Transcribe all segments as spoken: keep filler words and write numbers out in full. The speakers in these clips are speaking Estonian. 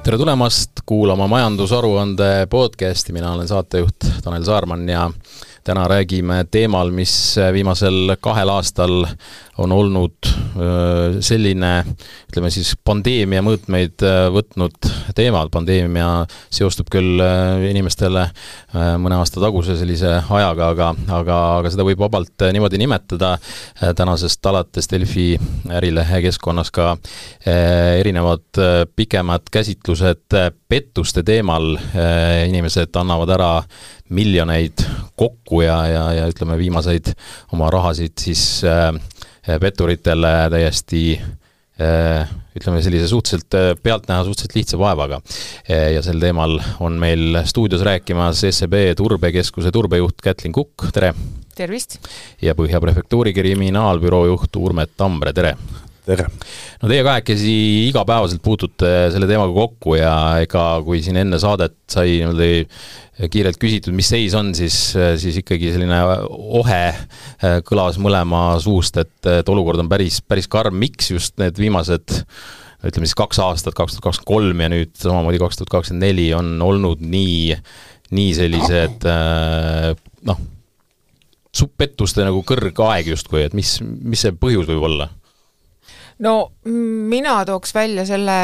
Tere tulemast kuulama majandusaruande podcasti, mina olen saatejuht Tanel Saarman ja täna räägime teemal, mis viimasel kahel aastal on olnud selline, ütleme siis pandeemia mõõtmeid võtnud teema. Pandeemia seostub küll inimestele mõne aasta taguse sellise ajaga, aga, aga, aga seda võib vabalt niimoodi nimetada. Tänasest alates Delfi ärilehe keskkonnas ka erinevad pikemad käsitlused pettuste teemal. Inimesed annavad ära miljoneid kokku ja, ja, ja ütleme viimaseid oma rahasid siis äh, petturitele täiesti äh, ütleme sellise suhteliselt pealtnäha suhteliselt lihtsa vaevaga. Ja sel teemal on meil stuudios rääkimas S E B turbekeskuse turbejuht Kätlin Kukk, tere! Tervist! Ja Põhja prefektuuri kriminaalbüroo juht Urmet Tambre, tere! Tere! No teie kahekesi igapäevaselt puutute selle teemaga kokku ja ega kui siin enne saadet sai kiirelt küsitud, mis seis on, siis, siis ikkagi selline ohe kõlas mõlema suust, et, et olukord on päris, päris karm. Miks just need viimased, ütleme siis kaks aastat, kaks tuhat kakskümmend kolm ja nüüd samamoodi kaks tuhat kakskümmend neli on olnud nii, nii sellised noh, pettuste nagu kõrgaeg justkui, et mis, mis see põhjus võib olla? No mina tooks välja selle,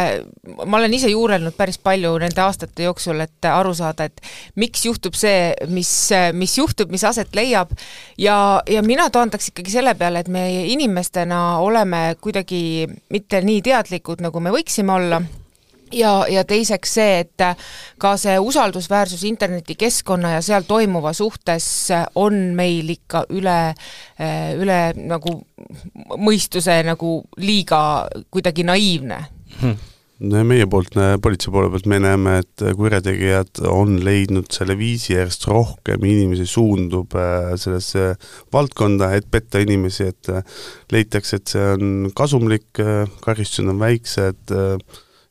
ma olen ise juurelnud päris palju nende aastate jooksul, et aru saada, et miks juhtub see, mis, mis juhtub, mis aset leiab ja, ja mina toondaks ikkagi selle peale, et me inimestena oleme kuidagi mitte nii teadlikud, nagu me võiksime olla. Ja, ja teiseks see, et ka see usaldusväärsus internetikeskkonna ja seal toimuva suhtes on meil ikka üle, üle nagu mõistuse nagu liiga kuidagi naiivne. Hmm. Meie poolt, politsei poole pealt me näeme, et kurjategijad on leidnud selle viisi järjest rohkem, inimesi suundub sellesse valdkonda, et petta inimesi, et leitakse, et see on kasumlik, karistused on väiksed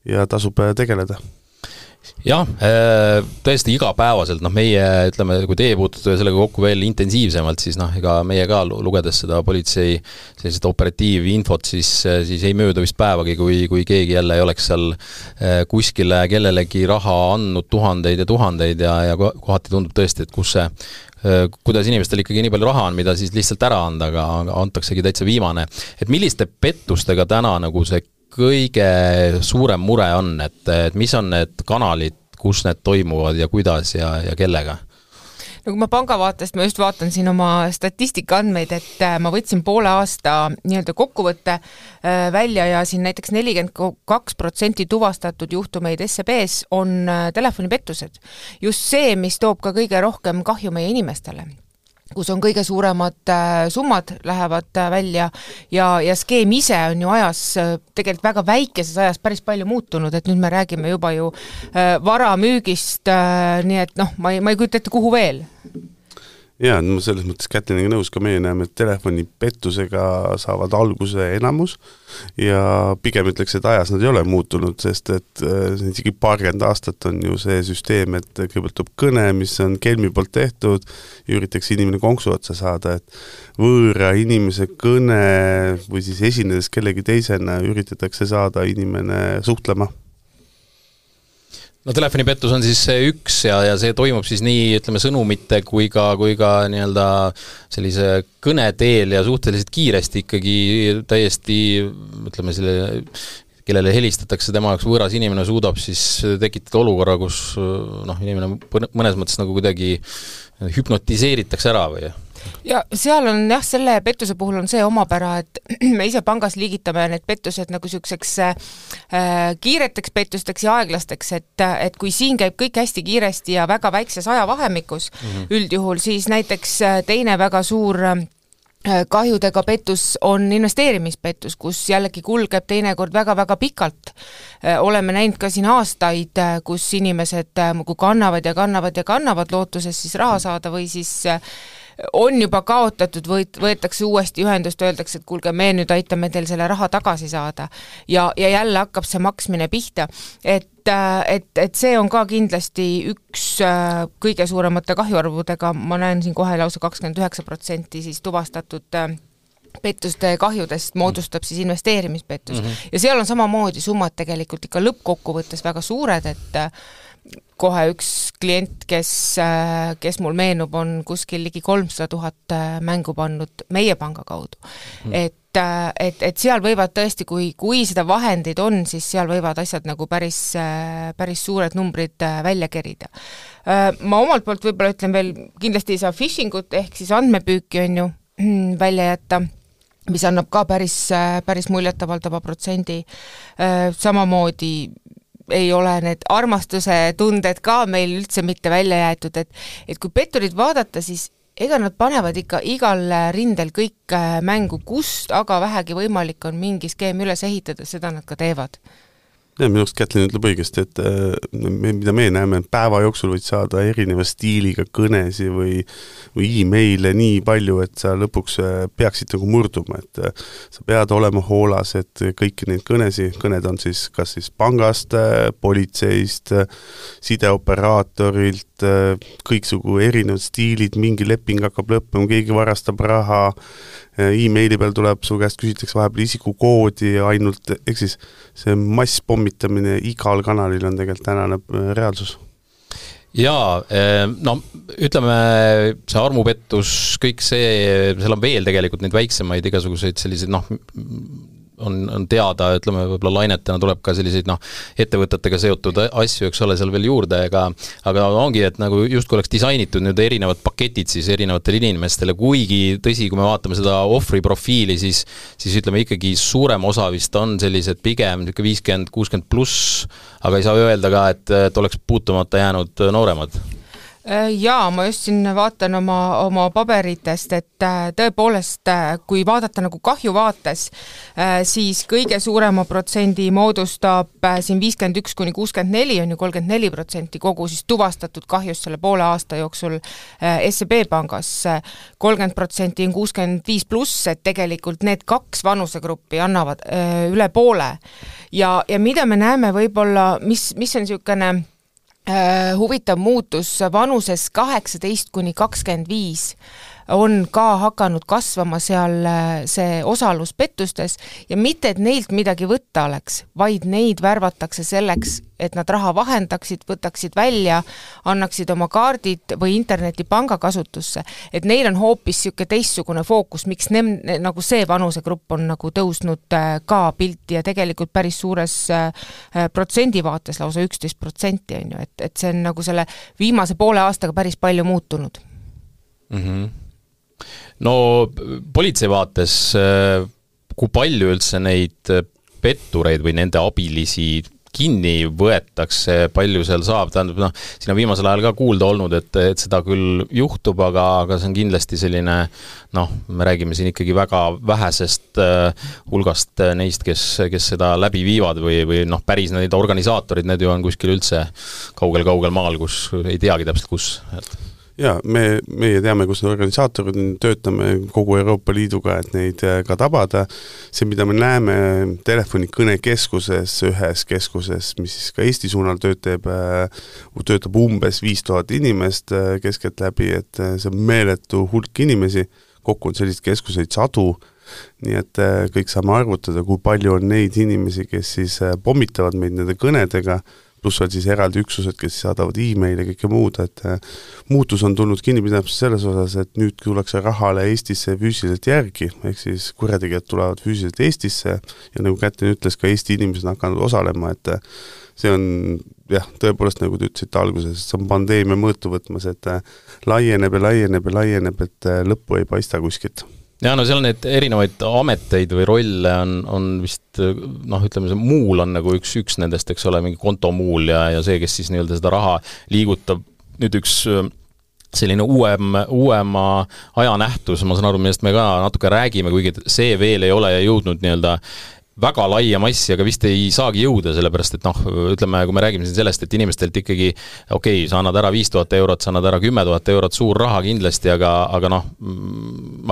ja tasub tegeleda. Jah, tõesti igapäevaselt, noh meie, ütleme, kui teie puutute sellega kokku veel intensiivsemalt, siis noh, ega meie ka lugedes seda politsei sellised operatiivinfot, siis, siis ei mööda vist päevagi, kui, kui keegi jälle ei oleks seal kuskile kellelegi raha andnud tuhandeid ja tuhandeid ja, ja kohati tundub tõesti, et kus see kuidas inimestel ikkagi nii palju raha on, mida siis lihtsalt ära anda, aga antaksegi täitsa viimane. Et milliste pettustega täna nagu see kõige suurem mure on, et, et mis on need kanalid, kus need toimuvad ja kuidas ja, ja kellega? No kui ma panga vaatest, ma just vaatan siin oma statistika andmeid, et ma võtsin poole aasta nii-öelda kokkuvõtte välja ja siin näiteks nelikümmend kaks protsenti tuvastatud juhtumeid S E B's on telefonipettused. Just see, mis toob ka kõige rohkem kahju meie inimestele, kus on kõige suuremad summad lähevad välja ja, ja skeem ise on ju ajas, tegelikult väga väikeses ajas päris palju muutunud, et nüüd me räägime juba ju vara müügist, nii et noh, ma ei, ma ei kujuta ette, kuhu veel. Jaa, no selles mõttes Kätliniga nõus ka meie näeme, et telefonipettusega saavad alguse enamus ja pigem ütleks, et ajas nad ei ole muutunud, sest et isegi paarkümmend aastat on ju see süsteem, et kõigepealt tuleb kõne, mis on kelmi poolt tehtud, üritakse inimene konksu otsa saada, et võõra inimese kõne või siis esinedes kellegi teisena üritatakse saada inimene suhtlema. No telefonipettus on siis üks ja, ja see toimub siis nii, ütleme, sõnumite kui ka, kui ka nii-öelda sellise kõneteel ja suhteliselt kiiresti ikkagi täiesti, ütleme, selle, kellele helistatakse tema jaoks võõras inimene suudab siis tekitada olukorra, kus noh, inimene mõnes mõttes nagu kuidagi hüpnotiseeritakse ära või? Ja seal on jah, selle pettuse puhul on see omapära, et me ise pangas liigitame need pettused nagu selliseks äh, kiireteks pettusteks ja aeglasteks, et, et kui siin käib kõik hästi kiiresti ja väga väikses ajavahemikus mm-hmm. üldjuhul, siis näiteks teine väga suur kahjudega pettus on investeerimispettus, kus jällegi kulgeb teinekord väga-väga pikalt. Oleme näinud ka siin aastaid, kus inimesed kui kannavad ja kannavad ja kannavad lootuses siis raha saada või siis on juba kaotatud, võet, võetakse uuesti ühendust, öeldakse, et kuulge, me nüüd aitame teil selle raha tagasi saada. Ja, ja jälle hakkab see maksmine pihta. Et, et, et see on ka kindlasti üks kõige suuremate kahjuarvudega, ma näen siin kohe lausa kakskümmend üheksa protsenti siis tuvastatud pettuste kahjudest moodustab siis investeerimispettus. Mm-hmm. Ja seal on samamoodi summad tegelikult ikka lõppkokkuvõttes väga suured, et kohe üks klient, kes, kes mul meenub, on kuskil ligi kolmsada tuhat mängu pannud meie panga kaudu. Mm. Et, et, et seal võivad tõesti, kui, kui seda vahendid on, siis seal võivad asjad nagu päris, päris suured numbrid välja kerida. Ma omalt poolt võib-olla ütlen veel, kindlasti ei saa phishingut ehk siis andmepüüki on ju välja jätta, mis annab ka päris, päris muljetavaldava protsendi. Samamoodi ei ole need armastuse tunded ka meil üldse mitte välja jäetud, et, et kui petturid vaadata, siis ega nad panevad ikka igal rindel kõik mängu, kust aga vähegi võimalik on mingi skeem üles ehitada, seda nad ka teevad. Ja, minu arust Kätlin ütleb õigesti, et me, mida me näeme, päeva jooksul võid saada erineva stiiliga kõnesi või, või e-maile nii palju, et sa lõpuks peaksid nagu murduma, et sa pead olema hoolas, et kõiki neid kõnesi, kõned on siis kas siis pangast, politseist, sideoperaatorilt, kõiksugu erinevad stiilid, mingi leping hakkab lõppema, keegi varastab raha, e-maili peal tuleb, su käest küsitakse vahepeal isikukoodi ainult, ehk siis see masspommitamine igal kanalil on tegelikult tänane reaalsus. Jaa, no ütleme, see armupettus, kõik see, seal on veel tegelikult neid väiksemaid igasuguseid selliseid, noh, on, on teada, ütleme, võib-olla lainetena tuleb ka selliseid, noh, ettevõtetega seotud asju, eks ole, seal veel juurde, aga, aga ongi, et nagu just kui oleks disainitud nüüd erinevad paketid siis erinevatele inimestele, kuigi tõsi, kui me vaatame seda ohvri profiili, siis, siis ütleme ikkagi suurem osa vist on sellised pigem viiskümmend kuuskümmend pluss, aga ei saa öelda ka, et, et oleks puutumata jäänud nooremad. Jaa, ma just siin vaatan oma, oma paberitest, et tõepoolest, kui vaadata nagu kahju vaates, siis kõige suurema protsendi moodustab siin viiskümmend üks kuni kuuskümmend neli on ju kolmkümmend neli protsenti kogu siis tuvastatud kahjust selle poole aasta jooksul S E B pangas. kolmkümmend protsenti on kuuskümmend viis pluss, et tegelikult need kaks vanusegruppi annavad üle poole. Ja, ja mida me näeme võib-olla, mis, mis on niisugune huvitav muutus vanuses kaheksateist kuni kakskümmend viis on ka hakanud kasvama seal see osalus pettustes ja mitte, et neilt midagi võtta oleks, vaid neid värvatakse selleks, et nad raha vahendaksid, võtaksid välja, annaksid oma kaardid või internetipanga kasutusse. Et neil on hoopis siuke teistsugune fookus, miks ne, nagu see vanusegrupp on nagu tõusnud ka pilti ja tegelikult päris suures protsendivaates lausa üksteist protsenti on ju, et, et see on nagu selle viimase poole aastaga päris palju muutunud. Mhm. No politsei vaates, kui palju üldse neid pettureid või nende abilisi kinni võetakse, palju seal saab, tähendab, noh, siin on viimasel ajal ka kuulda olnud, et, et seda küll juhtub, aga, aga see on kindlasti selline, noh, me räägime siin ikkagi väga vähesest uh, hulgast neist, kes, kes seda läbi viivad või, või noh, päris neid organisaatorid, need ju on kuskil üldse kaugel-kaugel maal, kus ei teagi täpselt kus, et Jaa, me, meie teame, kus need organisaatorid töötame kogu Euroopa Liiduga, et neid ka tabada. See, mida me näeme telefonikõnekeskuses, ühes keskuses, mis ka Eesti suunal töötab, töötab umbes viis tuhat inimest keskelt läbi, et see on meeletu hulk inimesi, kokku on sellist keskuseid sadu, nii et kõik saame arvutada, kui palju on neid inimesi, kes siis pommitavad meid nende kõnedega, pluss veel siis eraldi üksused, kes saadavad e-mail ja kõike muud, et muutus on tulnud kinnipidamist selles osas, et nüüd tullakse rahale Eestisse füüsiliselt järgi, ehk siis kurjategijad tulevad füüsiliselt Eestisse ja nagu Kätlin ütles, ka Eesti inimesed on hakanud osalema, et see on, jah, tõepoolest nagu te ütlesite alguses, see on pandeemia mõõtu võtmas, et laieneb ja laieneb ja laieneb, et lõppu ei paista kuskilt. Ja no seal need erinevaid ameteid või rolle on, on vist, noh, ütleme, see muul on nagu üks, üks nendest, eks ole, mingi kontomuul ja, ja see, kes siis nii-öelda seda raha liigutab, nüüd üks selline uuem, uuema ajanähtus, ma saan aru, millest me ka natuke räägime, kuigi see veel ei ole jõudnud nii-öelda väga laia massi, aga vist ei saagi jõuda, sellepärast, et noh, ütleme, kui me räägime siin sellest, et inimestelt ikkagi, okei, okay, sa annad ära viis tuhat eurot, sa annad ära kümme tuhat eurot, suur raha kindlasti, aga, aga noh,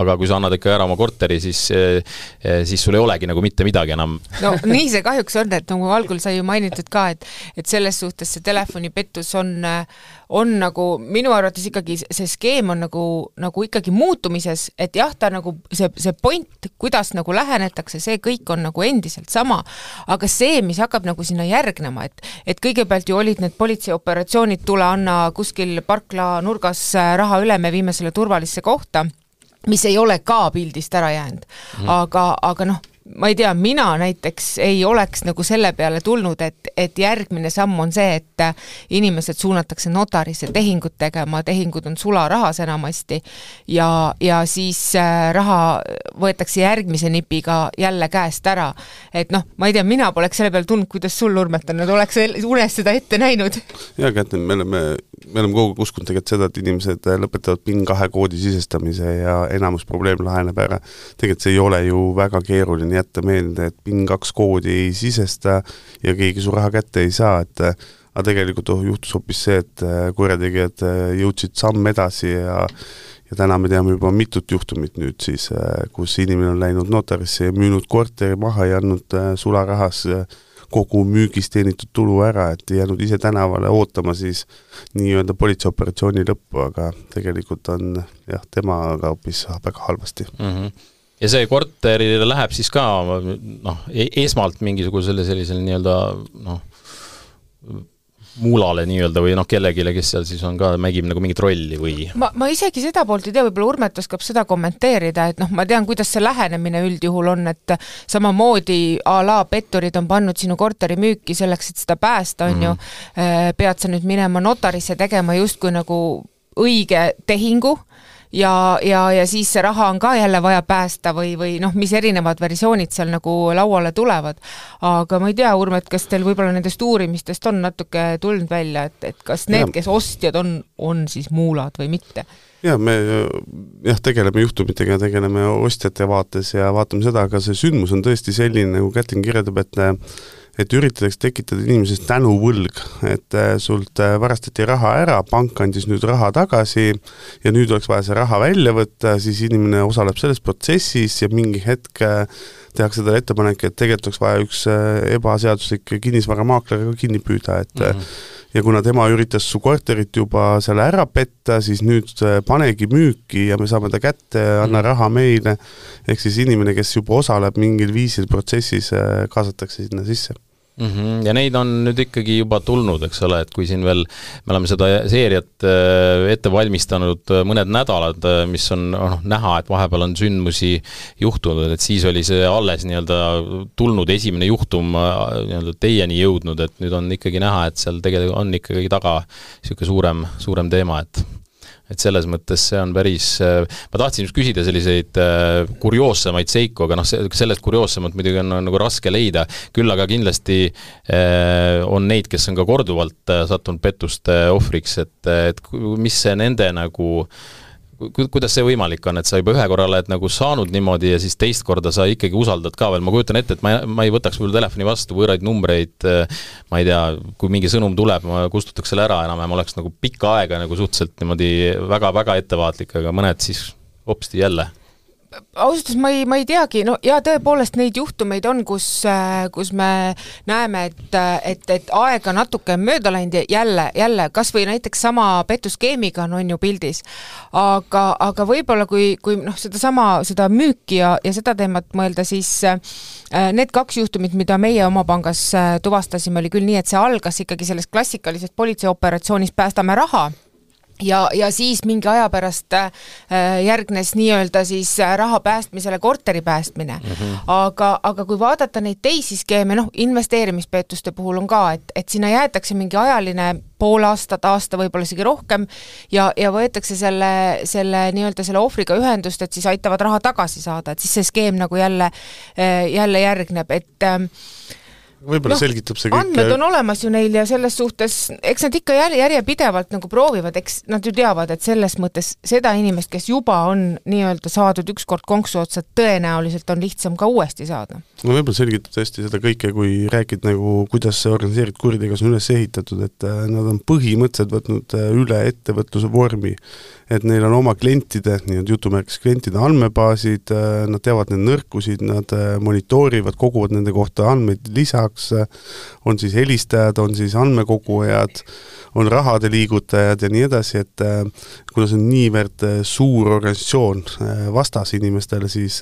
aga kui sa annad ikka ära oma korteri, siis, siis sul ei olegi nagu mitte midagi enam. No nii see kahjuks on, et nagu algul sai ju mainitud ka, et, et selles suhtes see telefonipettus on, on nagu minu arvates ikkagi see skeem on nagu, nagu ikkagi muutumises, et jah, ta nagu see, see point, kuidas nagu lähenetakse, see kõik on nagu endiselt sama, aga see, mis hakkab nagu sinna järgnema, et, et kõigepealt ju olid need politseioperatsioonid, tule anna kuskil parkla nurgas raha üle, me viime selle turvalisse kohta, mis ei ole ka pildist ära jäänud, mm. aga, aga noh, ma ei tea, mina näiteks ei oleks nagu selle peale tulnud, et, et järgmine samm on see, et inimesed suunatakse notarisse tehingut tegema, tehingud on sularahas enamasti ja, ja siis raha võetakse järgmise nipiga jälle käest ära. Et noh, ma ei tea, mina poleks selle peale tulnud, kuidas sul Urmet on, et oleks unes seda ette näinud. Ja, Kätne, me oleme, me oleme kogu uskunud tegelikult seda, et inimesed lõpetavad PIN kahe koodi sisestamise ja enamus probleem laheneb ära. Tegelikult see ei ole ju väga keeruline jätta meelde, et PIN kaks koodi ei sisesta ja keegi su raha kätte ei saa, et aga tegelikult oh, juhtus hoopis see, et kurjategijad jõudsid samm edasi ja, ja täna me teame juba mitut juhtumit nüüd siis, kus inimene on läinud notarisse ja müünud korteri maha ja andnud sularahas kogu müügist teenitud tulu ära, et jäänud ise tänavale ootama siis nii-öelda politseioperatsiooni lõppu, aga tegelikult on jah, temaga hoopis väga halvasti. Mm-hmm. Ja see korterile läheb siis ka noh, esmalt mingisugusele sellisele nii-öelda noh, muulale nii-öelda või noh, kellegile, kes seal siis on ka, mägib nagu mingit rolli või? Ma, ma isegi seda poolt ei tea, võib-olla Urmet oskab seda kommenteerida, et noh, ma tean, kuidas see lähenemine üldjuhul on, et samamoodi a la petturid on pannud sinu korteri müüki selleks, et seda päästa, on mm. ju, pead sa nüüd minema notarisse tegema justkui nagu õige tehingu, ja, ja, ja siis see raha on ka jälle vaja päästa või, või noh, mis erinevad versioonid seal nagu lauale tulevad. Aga ma ei tea, Urmet, kas teil võib-olla nendest uurimistest on natuke tulnud välja, et, et kas need, kes ostjad on, on siis muulad või mitte? Ja, me jah, tegeleme juhtumitega, tegeleme ostjate vaates ja vaatame seda, aga see sündmus on tõesti selline, nagu Kätlin kirjeldab, et et üritades tekitada inimesest tänuvõlg, et sult varastati raha ära, pank andis nüüd raha tagasi ja nüüd oleks vaja see raha välja võtta, siis inimene osaleb selles protsessis ja mingi hetk tehakse seda ettepanek, et tegelikult oleks vaja üks ebaseaduslik kinnisvaramaakler kinni püüda, et mm-hmm. ja kuna tema üritas su korterit juba selle ära petta, siis nüüd panegi müüki ja me saame ta kätte, anna raha meile, ehk siis inimene, kes juba osaleb mingil viisil protsessis, kaasatakse sinna sisse. Mm-hmm. Ja neid on nüüd ikkagi juba tulnud, eks ole, et kui siin veel me oleme seda seeriat ette valmistanud mõned nädalad, mis on noh, näha, et vahepeal on sündmusi juhtunud, et siis oli see alles nii-öelda tulnud esimene juhtum nii-öelda teieni jõudnud, et nüüd on ikkagi näha, et seal tegelikult on ikkagi taga niisugune suurem, suurem teema, et et selles mõttes see on päris, ma tahtsin just küsida selliseid kurioossemaid seiku, aga noh, sellest kurioossemat muidugi on nagu raske leida, küll aga kindlasti on neid, kes on ka korduvalt sattunud pettuste ohvriks, et, et mis see nende nagu kuidas see võimalik on, et sa juba ühe korra oled nagu saanud niimoodi ja siis teist korda sa ikkagi usaldad ka veel, ma kujutan ette, et ma, ma ei võtaks võib-olla telefoni vastu võõraid numbreid, ma ei tea, kui mingi sõnum tuleb, ma kustutaks selle ära enam ja ma oleks nagu pikka aega nagu suhteliselt niimoodi väga-väga ettevaatlik, aga mõned siis hopsti jälle. Ausalt, ma ei, ma ei teagi, no ja tõepoolest neid juhtumeid on, kus, kus me näeme, et, et, et aega natuke mööda läinud ja jälle, jälle, kas või näiteks sama pettuskeemiga on, on ju pildis, aga, aga võib-olla kui, kui noh, seda sama, seda müüki ja, ja seda teemat mõelda, siis need kaks juhtumit, mida meie oma pangas tuvastasime, oli küll nii, et see algas ikkagi sellest klassikalisest politseioperatsioonist päästame raha, Ja, ja siis mingi aja pärast äh, järgnes nii-öelda siis raha päästmisele korteri päästmine. Mm-hmm. Aga, aga kui vaadata neid teisi skeeme, noh, investeerimispeetuste puhul on ka, et, et sinna jäetakse mingi ajaline pool aastat, aasta võib-olla isegi rohkem ja, ja võetakse selle, selle nii-öelda selle ohvriga ühendust, et siis aitavad raha tagasi saada, et siis see skeem nagu jälle, jälle järgneb, et äh, võib-olla no, selgitab see kõik. Andmed on olemas ju neil ja selles suhtes, eks nad ikka järje, järjepidevalt nagu proovivad, eks nad ju teavad, et selles mõttes seda inimest, kes juba on nii-öelda saadud ükskord konksu otsa, tõenäoliselt on lihtsam ka uuesti saada. No võib-olla selgitab tõesti seda kõike, kui räägid nagu, kuidas see organiseeritud kuritegevus on üles ehitatud, et nad on põhimõtteliselt võtnud üle ettevõtluse vormi, et neil on oma klientide, nii-öelda jutumärkis klientide andmebaasid, nad teavad need nõrkusid, nad monitoorivad, koguvad nende kohta andmeid lisaks, lisaks on siis helistajad, on siis andmekogujad, on rahade liigutajad ja nii edasi, et kuna see on niivõrd suur organisatsioon vastas inimestele, siis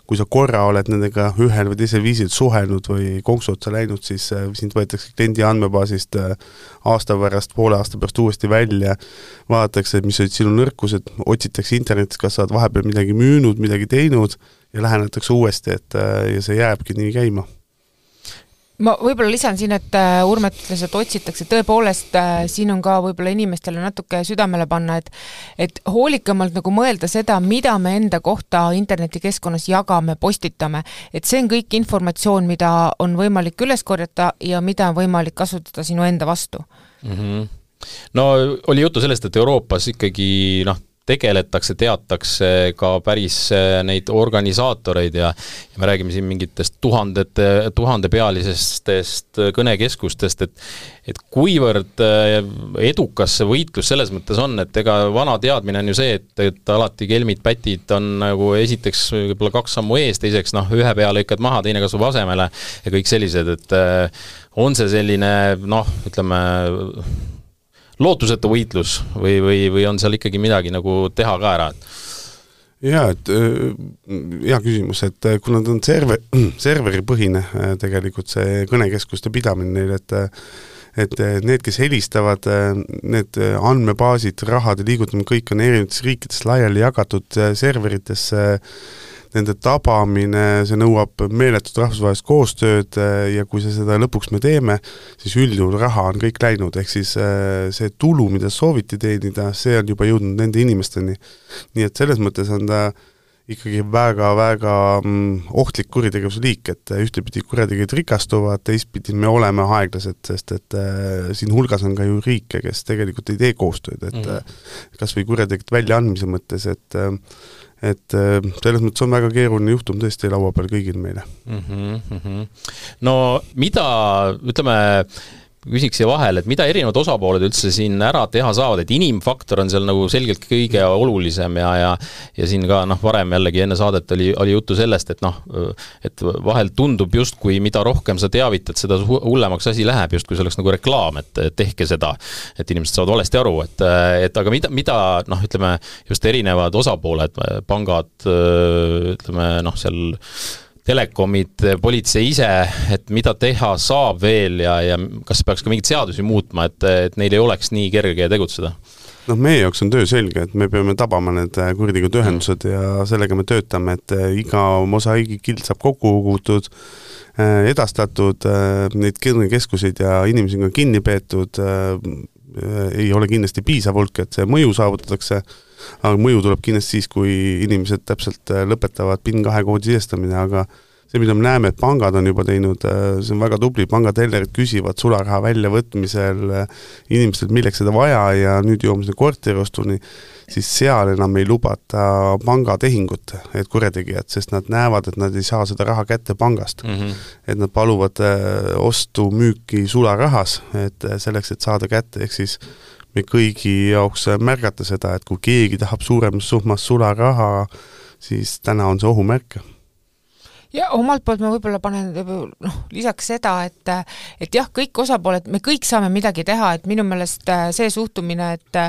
kui sa korra oled nendega ühel või teisel viisil suhelnud või konksu otsa läinud, siis sind võetakse kliendi andmebaasist aasta pärast, poole aasta pärast uuesti välja, vaadatakse, mis olid sinu nõrkused, otsitakse internetis, kas sa oled vahepeal midagi müünud, midagi teinud ja lähenetakse uuesti, et ja see jääbki nii käima. Ma võib-olla lisan siin, et Urmet ütles, et otsitakse, tõepoolest siin on ka võib-olla inimestele natuke südamele panna, et, et hoolikamalt nagu mõelda seda, mida me enda kohta internetikeskkonnas jagame, postitame, et see on kõik informatsioon, mida on võimalik üles korjata ja mida on võimalik kasutada sinu enda vastu. Mm-hmm. No oli juttu sellest, et Euroopas ikkagi noh, tegeletakse, teatakse ka päris neid organisaatoreid ja, ja me räägime siin mingitest tuhandete, tuhandepealisestest kõnekeskustest, et, et kuivõrd edukas see võitlus selles mõttes on, et ega vana teadmine on ju see, et, et alati kelmid, pätid on nagu esiteks võib-olla kaks sammu ees, teiseks noh, ühe pea lõikad maha, teine kasvab asemele ja kõik sellised, et on see selline noh, ütleme lootusetu võitlus või, või, või on seal ikkagi midagi nagu teha ka ära? Jaa, et hea küsimus, et kuna ta on server, serveripõhine tegelikult see kõnekeskuste pidamine neil, et et need, kes helistavad, need andmebaasid, rahade liigutamine, kõik on erinevates riikides laiali jagatud serveritesse, nende tabamine, see nõuab meeletut rahvusvahelist koostööd ja kui see seda lõpuks me teeme, siis üldjuhul raha on kõik läinud, ehk siis see tulu, mida sooviti teenida, see on juba jõudnud nende inimesteni. Nii et selles mõttes on ta ikkagi väga-väga ohtlik kuritegevuse liik, et ühtepidi kurjategijad rikastuvad, teistpidi me oleme aeglased, sest et siin hulgas on ka ju riike, kes tegelikult ei tee koostööd, et mm-hmm. kas või kurjategijad väljaandmise mõttes, et et selles mõttes on väga keeruline juhtum tõesti laua peal kõigil meile. Mm-hmm, mm-hmm. No mida, ütleme, küsiks siia vahel, et mida erinevad osapooled üldse siin ära teha saavad, et inimfaktor on seal nagu selgelt kõige olulisem ja, ja, ja siin ka noh, varem jällegi enne saadet oli, oli juttu sellest, et noh, et vahel tundub just, kui mida rohkem sa teavitad, seda hullemaks asi läheb, just kui see oleks nagu reklaam, et tehke seda, et inimesed saavad valesti aru, et, et aga mida, mida noh, ütleme, just erinevad osapooled, pangad, ütleme, noh, seal telekomid, politsei ise, et mida teha saab veel ja, ja kas peaks ka mingit seadusi muutma, et, et neil ei oleks nii kerge tegutseda? Noh, meie jaoks on töö selge, et me peame tabama need kuritegevused ühendused ja sellega me töötame, et iga mosaigi-kild saab kokku kogutud, edastatud, neid keskuseid ja inimesi on ka kinni peetud, ei ole kindlasti piisav hulk, et see mõju saavutatakse, aga mõju tuleb kindlasti siis, kui inimesed täpselt lõpetavad PIN kahe koodi sisestamine, aga see, mida me näeme, et pangad on juba teinud, see on väga tubli, pangatellerid küsivad sularaha väljavõtmisel inimestelt, milleks seda vaja ja nüüd jõuame seda korteriostuni, siis seal enam ei lubata pangatehingut, et kurjategijad, sest nad näevad, et nad ei saa seda raha kätte pangast. Mm-hmm. Et nad paluvad ostu müüki sularahas, et selleks, et saada kätte, ehk siis me kõigi jaoks märgata seda, et kui keegi tahab suuremas summas sularaha, siis täna on see ohumärk. Ja omalt poolt ma võib-olla panen noh, lisaks seda, et, et jah, kõik osapooled, me kõik saame midagi teha, et minu meelest see suhtumine, et,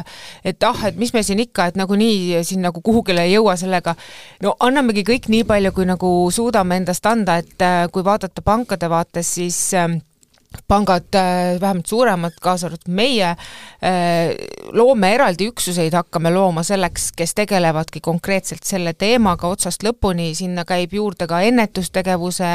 et ah, et mis me siin ikka, et nagu nii siin nagu kuhugile ei jõua sellega, no annamegi kõik nii palju, kui nagu suudame endast anda, et kui vaadata pankade vaates, siis pangad, vähemalt suuremad, kaasa arvatud meie, loome eraldi üksuseid, hakkame looma selleks, kes tegelevadki konkreetselt selle teemaga otsast lõpuni, sinna käib juurde ka ennetustegevuse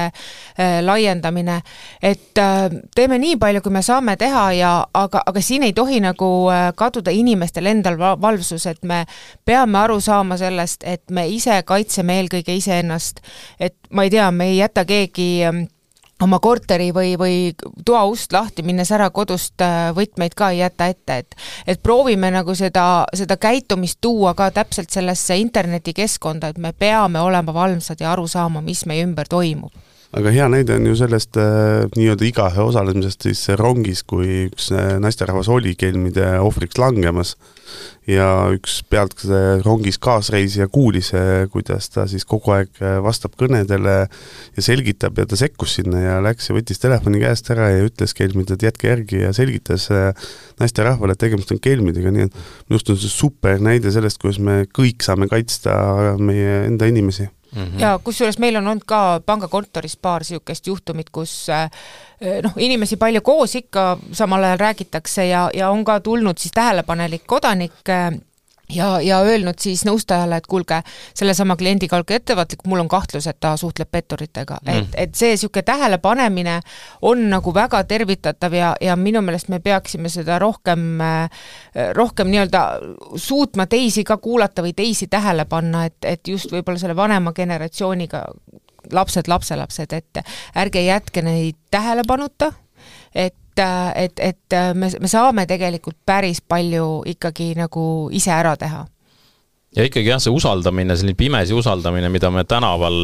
laiendamine, et teeme nii palju, kui me saame teha, ja, aga, aga siin ei tohi nagu kaduda inimestel endal valvsus, et me peame aru saama sellest, et me ise kaitseme eelkõige iseennast, et ma ei tea, me ei jäta keegi oma korteri või, või toa ust lahti, minnes ära kodust võtmeid ka ei jäta ette, et, et proovime nagu seda, seda käitumist tuua ka täpselt sellesse internetikeskkonda, et me peame olema valmsad ja aru saama, mis meie ümber toimub. aga hea näide on ju sellest äh, nii-öelda igahe osalemisest siis rongis, kui üks naisterahvas oli kelmide ohvriks langemas ja üks pealt rongis kaasreisija kuulis, kuidas ta siis kogu aeg vastab kõnedele ja selgitab ja ta sekkus sinna ja läks ja võttis telefoni käest ära ja ütles kelmid, et jätke järgi ja selgitas naisterahvale, et tegemist on kelmidega, nii et minust on see super näide sellest, kuidas me kõik saame kaitsta meie enda inimesi. Mm-hmm. Ja kusjuures meil on olnud ka pangakontoris paar siukest juhtumit, kus noh, inimesi palju koos ikka samal ajal räägitakse ja, ja on ka tulnud siis tähelepanelik kodanik ja, ja öelnud siis nõustajale, et kuulge, selle sama kliendiga olge ettevaatlik, mul on kahtlus, et ta suhtleb petturitega. Mm. Et, et see siuke tähelepanemine on nagu väga tervitatav ja, ja minu meelest me peaksime seda rohkem, rohkem nii-öelda suutma teisi ka kuulata või teisi tähele panna, et, et just võib-olla selle vanema generatsiooniga lapsed, lapselapsed, et ärge jätke neid tähelepanuta, et et, et me, me saame tegelikult päris palju ikkagi nagu ise ära teha. Ja ikkagi jah, see usaldamine, selline pimesi usaldamine, mida me tänaval,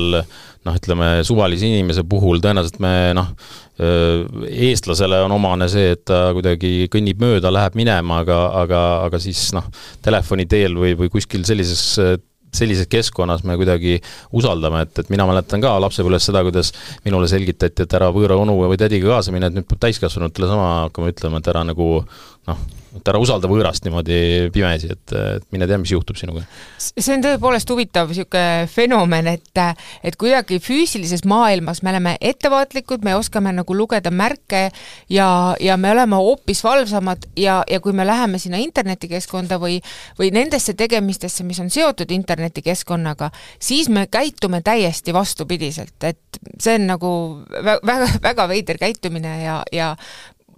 noh, ütleme, suvalise inimese puhul tõenäoliselt me, noh, eestlasele on omane see, et ta kuidagi kõnnib mööda, läheb minema, aga, aga, aga siis, noh, telefoni teel või, või kuskil sellises sellises keskkonnas me kuidagi usaldame, et, et mina mäletan ka lapsepõlves seda, kuidas minule selgitati, et ära võõra onu või tädiga kaasa minna, et nüüd peab täiskasvanutele sama hakkama ütlema, et ära nagu, noh, et ära usalda võõrast niimoodi pimesi, et, et mine tea, mis juhtub sinuga. See on tõepoolest huvitav siuke fenomen, et, et kuidagi füüsilises maailmas me oleme ettevaatlikud, me oskame nagu lugeda märke ja, ja me oleme hoopis valvsamad ja, ja kui me läheme sinna internetikeskkonda või, või nendesse tegemistesse, mis on seotud internetikeskkonnaga, siis me käitume täiesti vastupidiselt, et see on nagu väga, väga veider käitumine ja, ja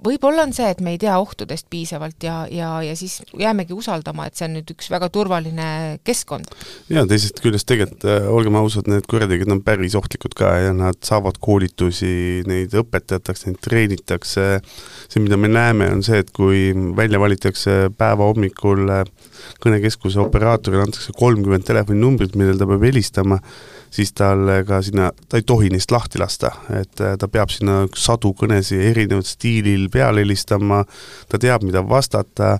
võib-olla on see, et me ei tea ohtudest piisavalt ja, ja, ja siis jäämegi usaldama, et see on nüüd üks väga turvaline keskkond. Ja teisest küljest tegelikult, olgem ausad, need kurjategijad on päris ohtlikud ka ja nad saavad koolitusi, neid õpetatakse, neid treenitakse. See, mida me näeme, on see, et kui välja valitakse päeva hommikul kõnekeskuse operaatorile antakse kolmkümmend telefoninumbrit, millel ta peab helistama, siis tal ka sinna, ta ei tohi neist lahti lasta, et ta peab sinna sadu kõnesi erinevad stiilil peale helistama, ta teab, mida vastata,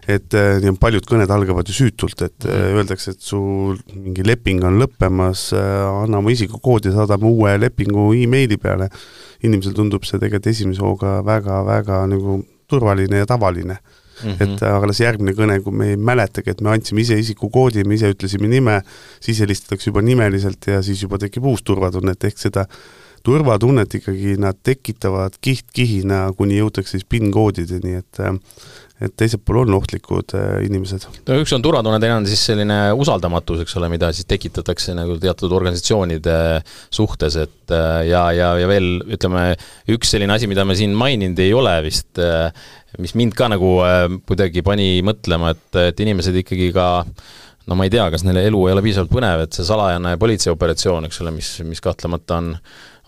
et nii paljud kõned algavad ju süütult, et mm. öeldakse, et su mingi leping on lõppemas, anna oma isikukoodi ja saadame uue lepingu e-maili peale. Inimesel tundub see tegelikult esimese hooga väga-väga nagu turvaline ja tavaline. Mm-hmm. Et aga järgmine kõne, kui me ei mäletagi, et me andsime ise isikukoodi, me ise ütlesime nime, siis helistatakse juba nimeliselt ja siis juba tekib uus turvatunnet, ehk seda turvatunnet ikkagi nad tekitavad kiht-kihina, kuni jõutakse siis PIN-koodideni, et, et teiselt pool on ohtlikud inimesed. No, üks on turvatunne, teine on siis selline usaldamatus, eks ole, mida siis tekitatakse nagu teatud organisatsioonide suhtes, et ja, ja, ja veel, ütleme, üks selline asi, mida me siin maininud ei ole vist, mis mind ka nagu kuidagi pani mõtlema, et, et inimesed ikkagi ka, no ma ei tea, kas neile elu ei ole piisavalt põnev, et see salajane politseioperatsioon, eks ole, mis, mis kahtlemata on,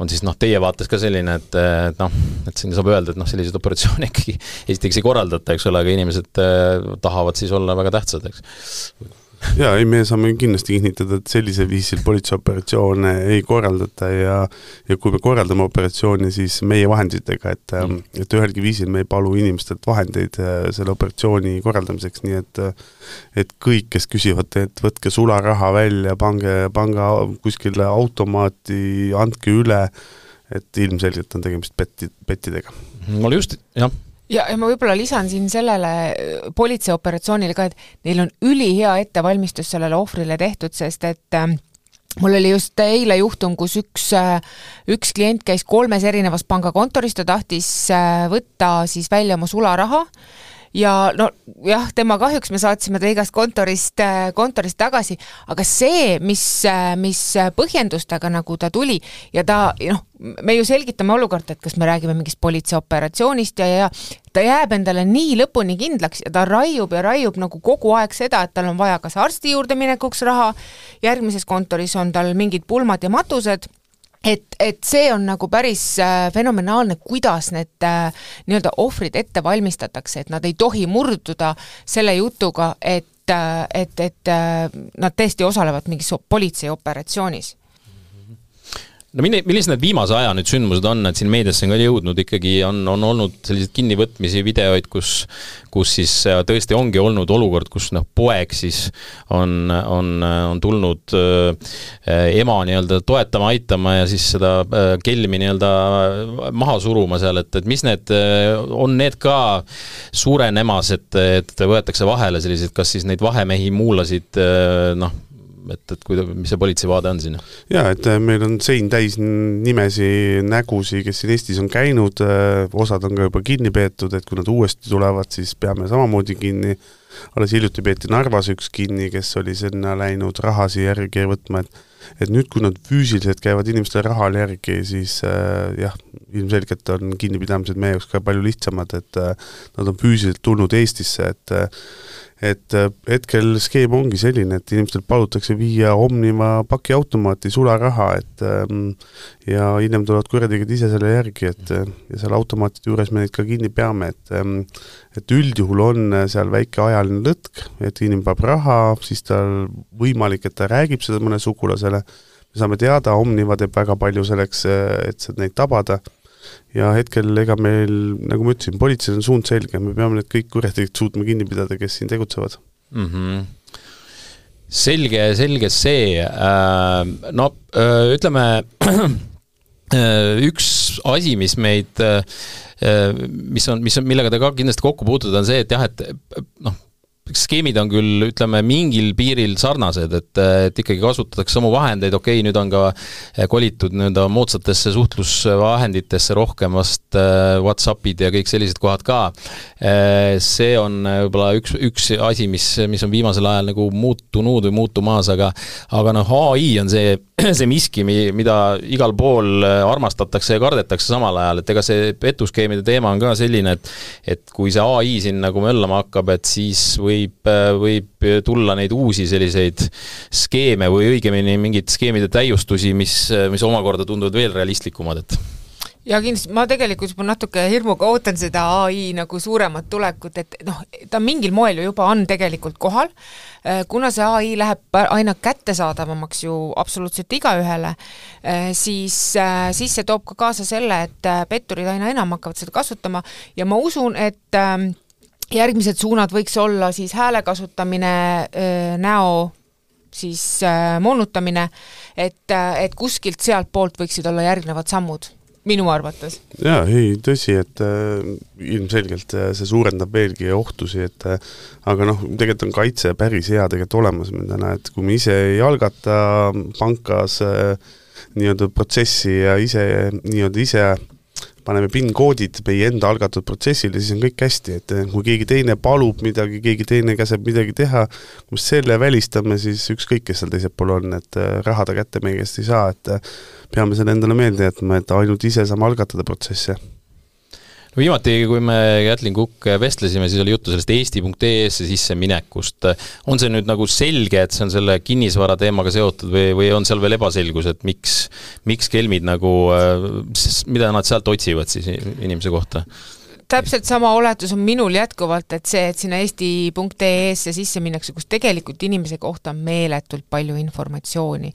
on siis noh, teie vaates ka selline, et, et noh, et siin saab öelda, et noh, sellised operatsioone ikkagi esiteks ei korraldata, eks ole, aga inimesed tahavad siis olla väga tähtsad, eks. Ja, ei, me saame kindlasti kinnitada, et sellise viisil politseioperatsioone ei korraldata ja, ja kui me korraldame operatsiooni, siis meie vahenditega, et, mm. et ühelgi viisil me ei palu inimestelt vahendeid selle operatsiooni korraldamiseks, nii et, et kõik, kes küsivad, et võtke sularaha välja, pange, panga kuskile automaati, andke üle, et ilmselgelt on tegemist petti, pettidega. Mul just, jah. Ja, ja ma võib-olla lisan siin sellele politseioperatsioonile ka, et neil on ülihea ettevalmistus sellele ohvrile tehtud, sest et äh, mul oli just eile juhtum, kus üks, äh, üks klient käis kolmes erinevas pangakontoris, ta tahtis äh, võtta siis välja oma sularaha ja no jah, tema kahjuks me saatsime ta igast kontorist, kontorist tagasi, aga see, mis, mis põhjendustega nagu ta tuli ja ta, noh, me ju selgitame olukorda, et kas me räägime mingist politseioperatsioonist ja, ja ta jääb endale nii lõpuni kindlaks ja ta raiub ja raiub nagu kogu aeg seda, et tal on vaja kas arsti juurde minekuks raha, järgmises kontoris on tal mingid pulmad ja matused, Et, et see on nagu päris äh, fenomenaalne, kuidas need äh, nii-öelda ohvrid ette valmistatakse, et nad ei tohi murduda selle jutuga, et, äh, et, et äh, nad tõesti osalevad mingis politseiooperatsioonis. no millised need viimase aja nüüd sündmused on, et siin meediasse on ka jõudnud ikkagi, on, on olnud sellised kinnivõtmisi videoid, kus, kus siis tõesti ongi olnud olukord, kus noh, poeg siis on, on, on tulnud äh, ema nii-öelda toetama, aitama ja siis seda äh, kelmi nii-öelda maha suruma seal, et, et mis need äh, on need ka suurenemas, et, et võetakse vahele sellised, kas siis neid vahemehi muulasid äh, noh, et, et kui, mis see politsei vaade on siin? Jaa, et meil on sein täis nimesi, nägusi, kes siin Eestis on käinud, osad on ka juba kinni peetud, et kui nad uuesti tulevad, siis peame samamoodi kinni. Alles hiljuti peeti Narvas üks kinni, kes oli sinna läinud rahasi järgi võtma, et, et nüüd, kui nad füüsiliselt käivad inimestele rahal järgi, siis äh, jah, ilmselgelt on kinnipidamised meie jaoks ka palju lihtsamad, et äh, nad on füüsiliselt tulnud Eestisse, et äh, et hetkel skeem ongi selline, et inimestel palutakse viia Omniva pakiautomaati sularaha, et ja hiljem tulevad kurjategijad ise selle järgi, et ja seal automaatide juures me neid ka kinni peame, et et üldjuhul on seal väike ajaline lõtk, et inimene peab raha, siis tal võimalik, et ta räägib seda mõne sugulasele, me saame teada, Omniva teeb väga palju selleks, et neid tabada, ja hetkel ega meil, nagu ma ütlesin, politseil on suund selge, me peame need kõik kurjategijad suutma kinni pidada, kes siin tegutsevad. Mm-hmm. Selge, selge see. No ütleme, üks asi, mis meid, mis on, mis on, millega te ka kindlasti kokku puutud, on see, et jah, et noh, skeemid on küll, ütleme, mingil piiril sarnased, et, et ikkagi kasutatakse samu vahendeid, okei, nüüd on ka kolitud nõnda moodsatesse suhtlusvahenditesse rohkem vast WhatsAppid ja kõik sellised kohad ka. See on võib-olla üks, üks asi, mis, mis on viimasel ajal nagu muutunud või muutumaas, aga, aga noh, A I on see, see miski, mida igal pool armastatakse ja kardetakse samal ajal, et ega see petuskeemide teema on ka selline, et, et kui see A I siin nagu möllama hakkab, et siis või Võib, võib tulla neid uusi selliseid skeeme või õigemini mingid skeemide täiustusi, mis, mis omakorda tunduvad veel realistlikumad, et ja kindlasti ma tegelikult juba natuke hirmuga ootan seda A I nagu suuremat tulekut, et noh, ta mingil moel ju juba on tegelikult kohal, kuna see A I läheb aina kättesaadavamaks ju absoluutselt igaühele, siis, siis see toob ka kaasa selle, et petturid aina enam hakkavad seda kasutama ja ma usun, et järgmised suunad võiks olla siis hääle kasutamine, näo siis moonutamine, et, et kuskilt sealt poolt võiksid olla järgnevad sammud, minu arvates. Jaa, ei, tõsi, et äh, ilmselgelt äh, see suurendab veelgi ohtusi, et äh, aga noh, tegelikult on kaitse päris hea tegelikult olemas meil täna, et kui me ise ei algata pankas äh, nii-öelda protsessi ja ise nii-öelda ise paneme PIN-koodid meie enda algatud protsessile, siis on kõik hästi, et kui keegi teine palub midagi, keegi teine käseb midagi teha, kui me selle välistame, siis ükskõik, kes seal teised pool on, et raha ta kätte meie käest ei saa, et peame selle endale meelde jätma, et ainult ise saame algatada protsesse. No viimati, kui me Kätlin Kukk vestlesime, siis oli juttu sellest eesti punkt ee esse sisse minekust. On see nüüd nagu selge, et see on selle kinnisvara teemaga seotud või, või on seal veel ebaselgus, et miks, miks kelmid nagu, mida nad sealt otsivad siis inimese kohta? Täpselt sama oletus on minul jätkuvalt, et see, et sinna eesti punkt ee esse sisse minnakse, kus tegelikult inimese kohta on meeletult palju informatsiooni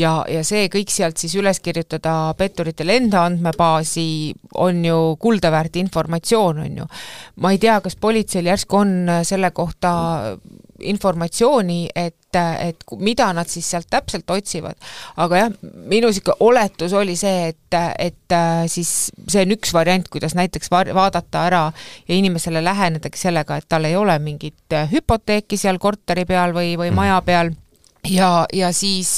ja, ja see kõik sealt siis üles kirjutada petturitele enda andmebaasi on ju kuldaväärt informatsioon, on ju. Ma ei tea, kas politseil järsku on selle kohta informatsiooni, et, et mida nad siis sealt täpselt otsivad. Aga jah, minu siuke oletus oli see, et, et siis see on üks variant, kuidas näiteks vaadata ära ja inimesele lähenedagi sellega, et tal ei ole mingit hüpoteeki seal korteri peal või, või maja peal ja, ja siis,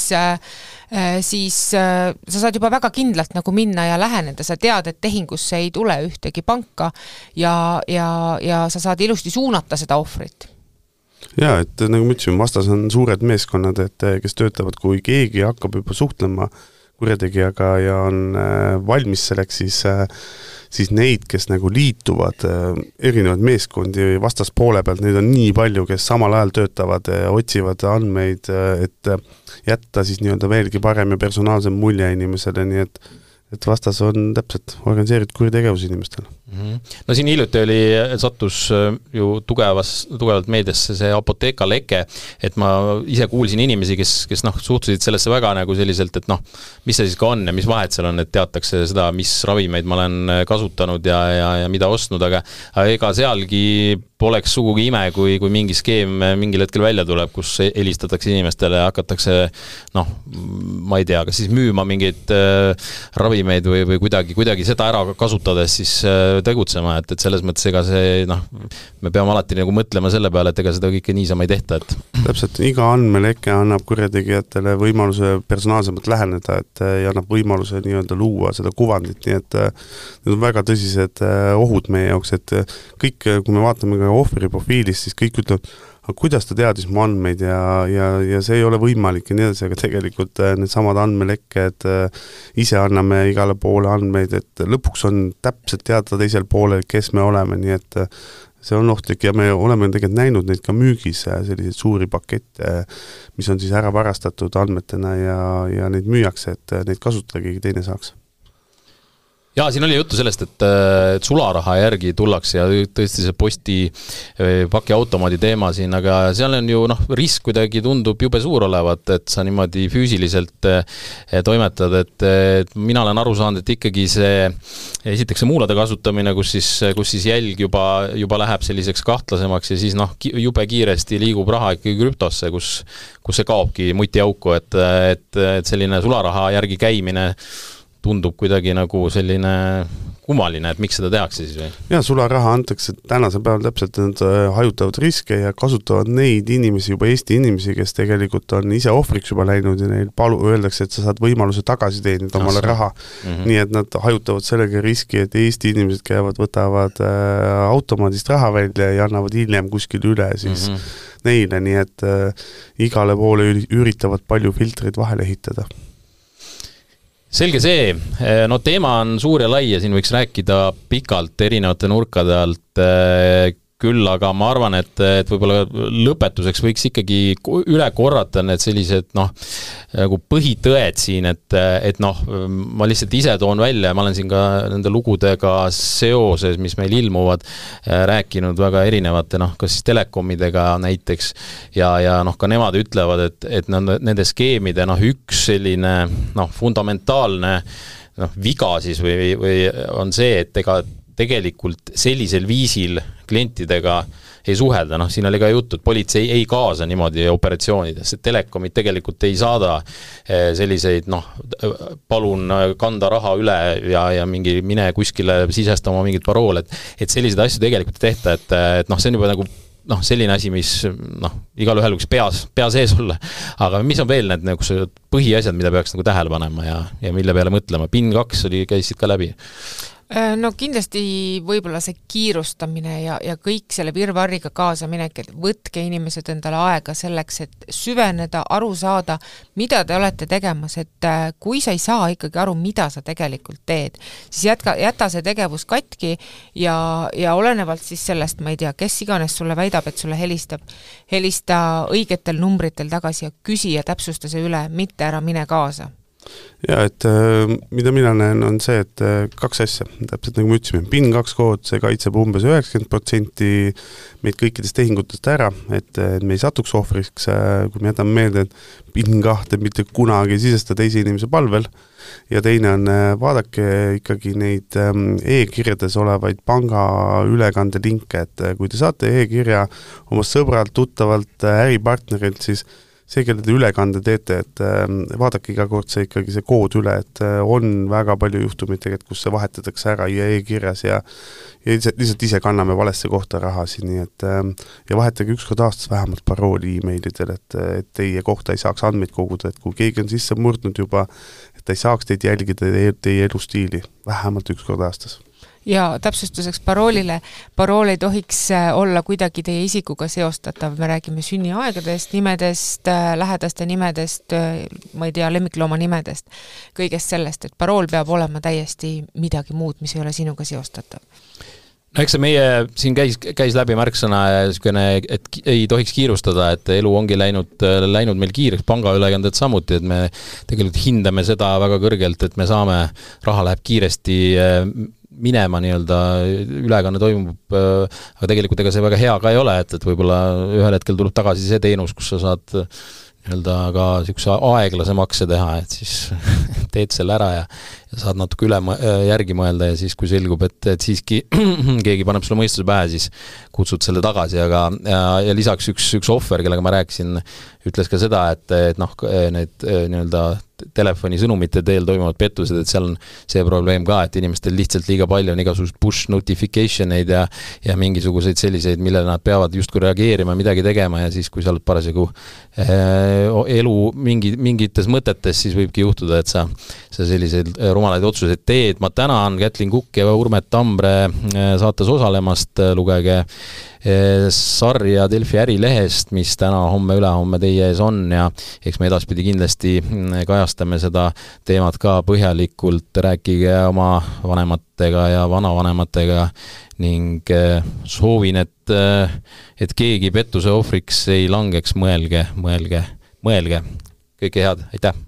siis sa saad juba väga kindlalt nagu minna ja läheneda, sa tead, et tehingusse ei tule ühtegi panka ja, ja, ja sa saad ilusti suunata seda ohvrit. Jaa, et nagu ma ütlesin, vastas on suured meeskonnad, et kes töötavad, kui keegi hakkab juba suhtlema kurjategijaga ja on valmis selleks, siis, siis neid, kes nagu liituvad erinevad meeskondi vastas poole pealt, neid on nii palju, kes samal ajal töötavad, otsivad andmeid, et jätta siis nii-öelda veelgi parem ja personaalsem mulje inimesele, nii et et vastas on täpselt organiseeritud kuritegevus inimestel. Mm-hmm. No siin hiljuti oli, sattus ju tugevas, tugevalt meediasse see apoteeka leke, et ma ise kuulsin inimesi, kes, kes noh, suhtusid sellesse väga nagu selliselt, et noh, mis see siis ka on ja mis vahet seal on, et teatakse seda, mis ravimeid ma olen kasutanud ja, ja, ja mida ostnud, aga ega sealgi poleks sugugi ime, kui, kui mingi skeem mingil hetkel välja tuleb, kus helistatakse inimestele ja hakatakse, noh, ma ei tea, kas siis müüma mingeid äh, ravimeid või, või kuidagi, kuidagi seda ära kasutades siis äh, tegutsema, et, et selles mõttes ega see, noh, me peame alati nagu mõtlema selle peale, et ega seda kõike niisama ei tehta, et täpselt, iga andmeleke annab kurjategijatele võimaluse personaalsemalt läheneda, et ja annab võimaluse nii-öelda luua seda kuvandit, nii et need on väga tõsised ohud meie jaoks, et kõik, kui me vaatame ka ohvri profiilist, siis kõik ütlevad, aga kuidas ta teadis mu andmeid ja, ja, ja see ei ole võimalik ja nii edasi, aga tegelikult need samad andmelekked ise anname igale poole andmeid, et lõpuks on täpselt teada teisel poolel, kes me oleme, nii et see on ohtlik ja me oleme tegelikult näinud neid ka müügis, selliseid suuri pakette, mis on siis ära varastatud andmetena ja, ja neid müüakse, et neid kasutada keegi teine saaks. Jaa, siin oli juttu sellest, et, et sularaha järgi tullakse ja tõesti see posti pakiautomaadi teema siin, aga seal on ju noh, risk kuidagi tundub jube suur olevat, et sa niimoodi füüsiliselt toimetad, et, et mina olen aru saanud, et ikkagi see esiteks see muulade kasutamine, kus siis, kus siis jälg juba, juba läheb selliseks kahtlasemaks ja siis noh, jube kiiresti liigub raha ikkagi krüptosse, kus, kus see kaobki mutiauku, et, et, et selline sularaha järgi käimine tundub kuidagi nagu selline kummaline, et miks seda tehakse siis või? Ja, sularaha antakse tänasel päeval täpselt, nad hajutavad riske ja kasutavad neid inimesi, juba Eesti inimesi, kes tegelikult on ise ohvriks juba läinud ja neil palu, öeldakse, et sa saad võimaluse tagasi teenida omale raha. Mm-hmm. Nii et nad hajutavad sellega riski, et Eesti inimesed käivad, võtavad äh, automaadist raha välja ja annavad hiljem kuskil üle siis mm-hmm. neile, nii et äh, igale poole üritavad palju filtreid vahele ehitada. Selge see, no teema on suur ja lai ja siin võiks rääkida pikalt erinevate nurkade alt, küll, aga ma arvan, et, et võib-olla lõpetuseks võiks ikkagi üle korrata need sellised noh, nagu põhitõed siin, et, et noh, ma lihtsalt ise toon välja, ma olen siin ka nende lugudega seoses, mis meil ilmuvad, rääkinud väga erinevate, noh, kas siis telekomidega näiteks ja, ja noh, ka nemad ütlevad, et, et nende skeemide noh, üks selline noh, fundamentaalne noh, viga siis või, või on see, et ega tegelikult sellisel viisil klientidega ei suhelda, noh siin oli ka juttu, et politsei ei kaasa niimoodi operatsioonides, et telekomid tegelikult ei saada selliseid, noh, palun kanda raha üle ja, ja mingi mine kuskile sisestama mingit parool, et, et selliseid asju tegelikult ei tehta, et, et noh, see on juba nagu noh, selline asi, mis noh, igal ühel võiks peas, pea sees olla, aga mis on veel need nagu põhiasjad, mida peaks nagu tähele panema ja, ja mille peale mõtlema, PIN kaks oli, käisid ka läbi? No kindlasti võib-olla see kiirustamine ja, ja kõik selle virvarriga kaasa minek, et võtke inimesed endale aega selleks, et süveneda, aru saada, mida te olete tegemas, et kui sa ei saa ikkagi aru, mida sa tegelikult teed, siis jätka, jäta see tegevus katki ja, ja olenevalt siis sellest, ma ei tea, kes iganes sulle väidab, et sulle helistab, helista õigetel numbritel tagasi ja küsi ja täpsusta see üle, mitte ära mine kaasa. Ja, et mida mina näen on see, et kaks asja, täpselt nagu me ütlesime, PIN kaks kood, see kaitseb umbes üheksakümmend protsenti meid kõikidest tehingutest ära, et me ei satuks ohvriks, kui me jätame meelde, et PIN kahte mitte kunagi sisesta teise inimese palvel ja teine on, vaadake ikkagi neid e-kirjades olevaid panga ülekande linke, et kui te saate e-kirja oma sõbralt, tuttavalt, äripartnerilt, siis see, kelle te ülekande teete, et vaadake iga kord see ikkagi see kood üle, et on väga palju juhtumid tegelikult, kus see vahetatakse ära ja e-kirjas ja, ja lihtsalt ise kanname valesse kohta rahasi, nii et ja vahetage ükskord aastas vähemalt parooli e-mailidel, et, et teie kohta ei saaks andmeid koguda, et kui keegi on sisse murdnud juba, et ta ei saaks teid jälgida teie, teie elustiili vähemalt ükskord aastas. Ja täpsustuseks paroolile, parool ei tohiks olla kuidagi teie isikuga seostatav, me räägime sünniaegadest, nimedest, lähedaste nimedest, ma ei tea, lemmiklooma nimedest, kõigest sellest, et parool peab olema täiesti midagi muud, mis ei ole sinuga seostatav. no eks see meie siin käis, käis läbi märksõna ja et ei tohiks kiirustada, et elu ongi läinud, läinud meil kiireks, pangaülekanded samuti, et me tegelikult hindame seda väga kõrgelt, et me saame, raha läheb kiiresti minema nii-öelda, ülekanne toimub, aga tegelikult ega see väga hea ka ei ole, et, et võib-olla ühel hetkel tuleb tagasi see teenus, kus sa saad nii-öelda ka niisuguse aeglase makse teha, et siis teed selle ära ja, ja saad natuke üle järgi mõelda ja siis, kui selgub, et, et siiski keegi paneb sulle mõistuse pähe, siis kutsud selle tagasi, aga ja, ja lisaks üks, üks ohver, kellega ma rääkisin, ütles ka seda, et, et noh, need nii-öelda telefonisõnumite teel toimuvad pettused, et seal on see probleem ka, et inimestel lihtsalt liiga palju on igasugused push notification eid ja, ja mingisuguseid selliseid, millele nad peavad justkui reageerima, midagi tegema ja siis, kui sa oled parasjagu elu mingi, mingites mõtetes, siis võibki juhtuda, et sa, sa selliseid rumalaid otsuseid teed. Ma tänan Kätlin Kukk ja Urmet Tambre saates osalemast, lugege sarja Delfi ärilehest, mis täna, homme, ülehomme teie ees on ja eks me edaspidi kindlasti kajastame seda teemat ka põhjalikult, rääkige oma vanematega ja vanavanematega ning soovin, et, et keegi pettuse ohvriks ei langeks, mõelge, mõelge, mõelge. Kõike head, aitäh!